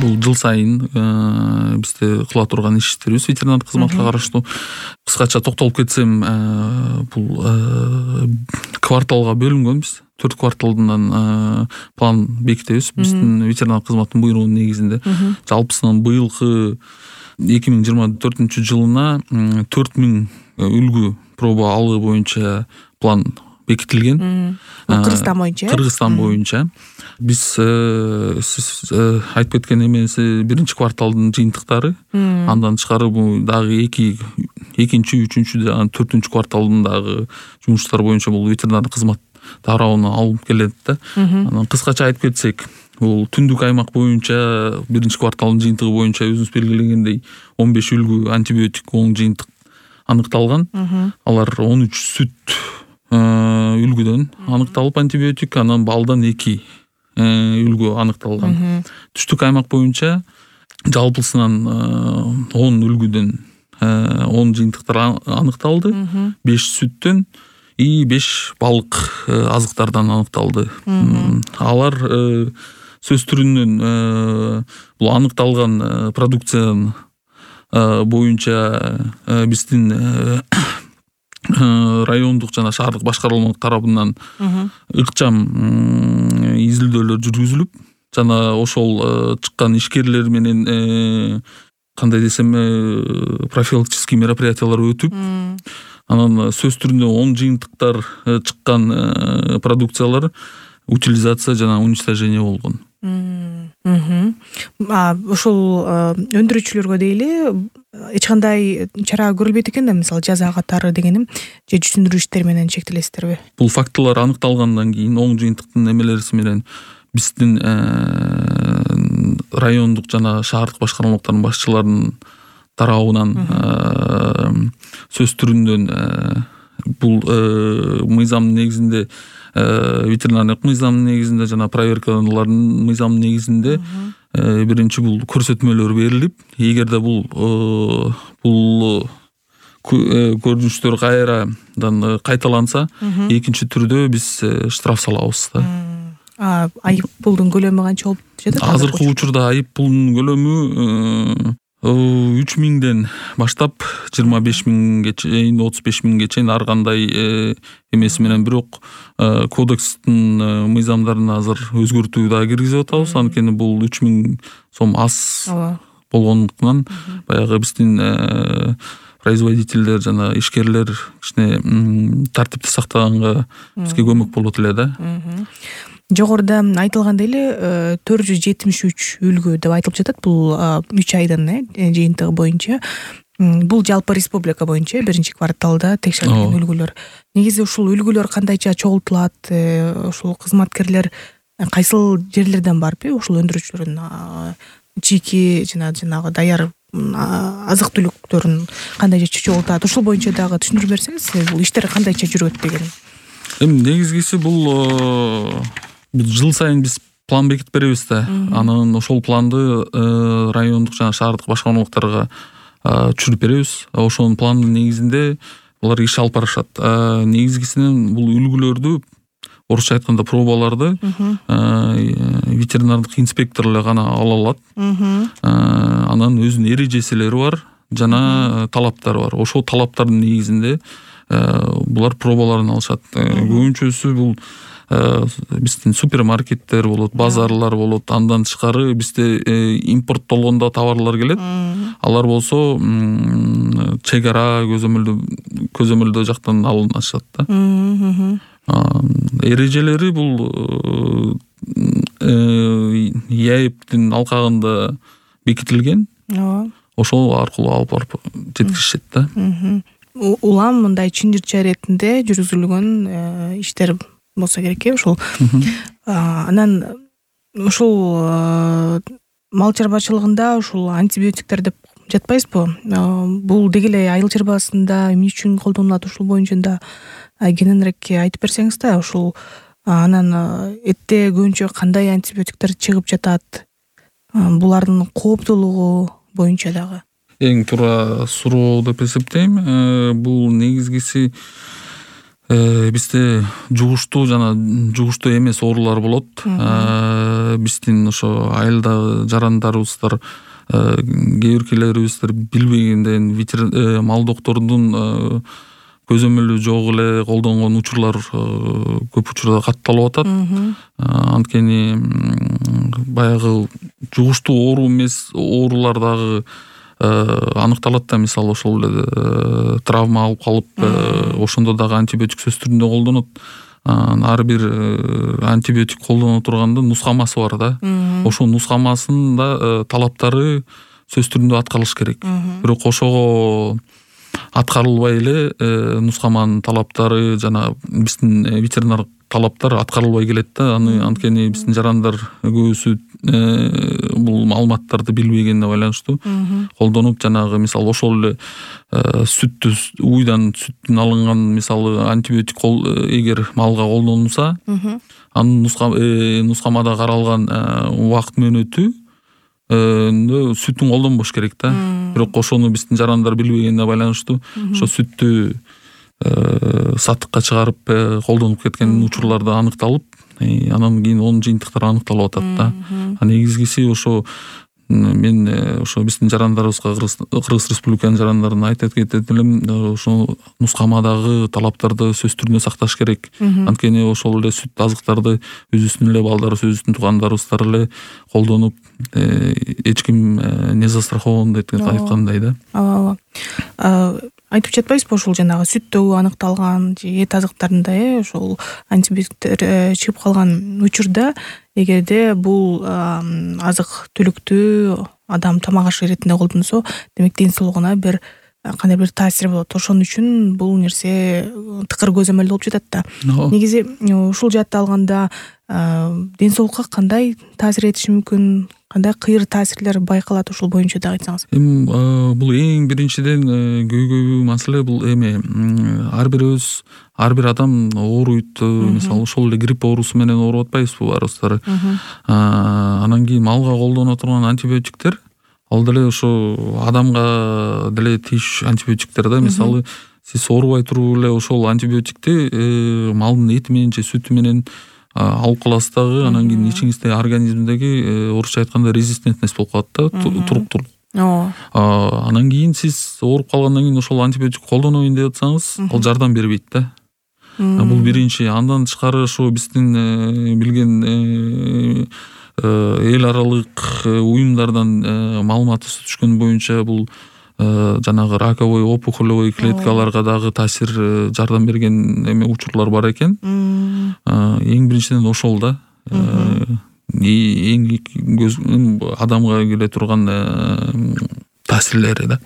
бул жыл сайын бизде кыла турган иштерибиз ветеринардык кызматка караштуу. Кыскача токтолуп кетсем, бул кварталга бөлүнгөнбүз. 4 кварталдан план бекитебиз биздин ветеринардык кызматтын буйругунун негизинде. Жалпысынан быйылкы 2024-жылына 4000 үлгү проба алуу боюнча план бекитилген. Кыргызстан боюнча. Биз сиз айтып кеткен эмеси биринчи кварталдын жыйынтыктары. Андан тышкары бул дагы экинчи, үчүнчү, төртүнчү кварталдын дагы жумуштар боюнча бул ветеринардык кызмат тарабынан алынып келет да. Анан кыскача айтып кетсек, бул түндүк аймак боюнча биринчи кварталдын жыйынтыгы боюнча өзүңүз белгилегендей 15 үлгү антибиотик оң жыйынтык аныкталган. Алар 13 сүт үлгүдөн аныкталып антибиотик, анан балдан 2 үлгү аныкталган. Түштүк аймак боюнча жалпысынан 10 үлгүдөн 10 жыйынтыктар аныкталды. 5 сүттөн и 5 балык азыктардан аныкталды. Алар сөз түрүнөн бул аныкталган продукциянын боюнча биздин райондук жана шаардык башкармалык тарабынан ыкчам изилдөөлөр жүргүзүлүп, жана ошол чыккан ишкерлер менен кандай десем, профилактический мероприятиялар өтүп, анан сөз түрүндө 10 жыйынтыктар чыккан продукциялар утилизация жана уничтожение болгон. Ошол өндүрүүчүлөргө дейли эч кандай чара көрүлбөйт экен да, мисалы жаза катары дегеним, же түшүндүрүү иштери менен чектелесиздерби? Бул фактылар аныкталгандан кийин оң жыйынтыктын эмелериси менен биздин райондук жана шаардык башкармалыктардын башчыларынын тарабынан сөз түрүндөн бул мыйзамдын негизинде, ветеринардык мыйзамдын негизинде жана проверкалардын мыйзамдын негизинде биринчи бул көрсөтмөлөр берилип, эгерде бул көрүнүштөр кайрадан кайталанса, экинчи түрдө биз штраф салабыз да. Айып пулдун көлөмү канча болуп жатат? Азыркы учурда айып пулдун көлөмү 3000ден баштап 25000 чейин, 35000 чейин ар кандай эмеси менен, бирок кодекстин мыйзамдарына азыр өзгөртүү да киргизип атабыз. Анткени бул 3000 сом аз болгондуктан баягы биздин производителдер жана ишкерлер кичине тартипти сактаганга бизге көмөк болот эле да. Жогоруда айтылгандай эле 473 үлгү деп айтылып жатат бул 3 айдын жыйынтыгы боюнча. Бул жалпы республика боюнча биринчи кварталда текшерилген үлгүлөр. Негизи ушул үлгүлөр кандайча чогултулат? Ушул кызматкерлер кайсыл жерлерден барып, ушул өндүрүүчүлөрдүн чийки жанагы даяр азык түлүктөрүн кандайча чогултат? Ушул боюнча дагы түшүндүрүп берсеңиз, бул иштер кандайча жүрөт деген. Негизгиси бул жыл сайын биз план бекитип беребиз да. Анан ошол планды райондук жана шаардык башкармалыктарга түшүрүп беребиз. Ошонун пландын негизинде булар иш алып барышат. Негизгисинен бул үлгүлөрдү, орусча айтканда пробаларды ветеринардык инспектор эле гана ала алат. Анан өзүнүн эрежеселери бар жана талаптары бар. Ошол талаптардын негизинде булар пробаларын алышат. Көбүнчөсү бул биздин супермаркеттер болот, базарлар болот. Андан тышкары бизде импорттолгондо товарлар келет. Алар болсо чек ара көзөмөлдөө жактан алынышат да. Эрежелери бул ЯЭПтин алкагында бекитилген. Ошол аркылуу алып барып жеткиришет да. Улам мындай чындырча иретинде жүргүзүлгөн иштер болсо керек ушул. Анан ушул мал чарбачылыгында ушул антибиотиктер деп жатпайсызбы? Бул деги эле айыл чарбасында эмне үчүн колдонулат? Ушул боюнча да кененирээк айтып берсеңиз да, ушул анан этте көбүнчө кандай антибиотиктер чыгып жатат? Булардын кооптуулугу боюнча дагы. Эң туура суроо деп эсептейм. Бул негизгиси Бизде жугуштуу жана жугуштуу эмес оорулар болот. Биздин ошо айылдагы жарандарыбыздар, кээ биркилерибиздер билбегенден мал доктордун көзөмөлү жок эле колдонгон учурлар көп учурда катталып атат. Анткени баягы жугуштуу оору эмес оорулар дагы аныкталат да. Мисалы ошол эле травма алып калып, ошондо дагы антибиотик сөз түрүндө колдонот. Ар бир антибиотик колдоно турганда нускамасы бар да. Ошол нускамасында талаптары сөз түрүндө аткарылыш керек. Бирок ошого аткарылбай эле нускаманын талаптары жана биздин ветеринар талаптар аткарылбай келет да. Анткени биздин жарандар көбүсү бул маалыматтарды билбегенине байланыштуу колдонуп, жанагы мисалы ошол эле сүттү уйдан сүттүн алынган мисалы антибиотик эгер малга колдонулса, анын нускамада каралган убакыт мөөнөтү сүтүн колдонбош керек да. Бирок ошону биздин жарандар билбегенине байланыштуу ошо сүттү сатыкка чыгарып колдонуп кеткен учурлар да аныкталып, анан кийин онун жыйынтыктары аныкталып атат да. Негизгиси ошо мен ошо биздин жарандарыбызга, Кыргыз Республиканын жарандарына айтып кетет элем, ошо нускамадагы талаптарды сөз түрүндө сакташ керек. Анткени ошол эле сүт азыктарды өзүбүздүн эле балдарыбыз, өзүбүздүн туугандарыбыздар эле колдонуп, эч ким не застрахован деп айткандай да. Ооба. Айтып жатпайсызбы, ошол жанагы сүттө аныкталган же эт азыктарында ошол антибиотиктер чыгып калган учурда, эгерде бул азык түлүктү адам тамак ашы иретинде колдонсо, демек ден соолугуна бир кандай бир таасир болот. Ошон үчүн бул нерсе тыкыр көзөмөл болуп жатат да. Негизи ушул жаатта алганда ден соолукка кандай таасир этиши мүмкүн, кандай кыйыр таасирлер байкалат, ошол боюнча да айтсаңыз. Бул эң биринчиден көйгөйдүү маселе бул ар бир адам ооруйт. Мисалы ошол эле грипп оорусу менен ооруп атпайбызбы баарыбыздар. Анан кийин малга колдоно турган антибиотиктер ал деле ошо адамга деле тийиш антибиотиктер да. Мисалы сиз оорубай туруп эле ошол антибиотикти малдын эти менен же сүтү менен алып каласыз дагы, анан кийин ичиңизде организмдеги орусча айтканда резистентность болуп калат да, туруктуулук. Анан кийин сиз ооруп калгандан кийин ошол антибиотик колдонобойн деп атсаңыз, ал жардам бербейт да. Бул биринчи. Андан тышкары ошо биздин билген эл аралык уюмдардан маалымат түшкөн боюнча бул жанагы раковой опухолевый клеткаларга дагы таасир жардам берген учурлар бар экен. Эң биринчиден ошол да. Эң адамга келе турган таасирлери да.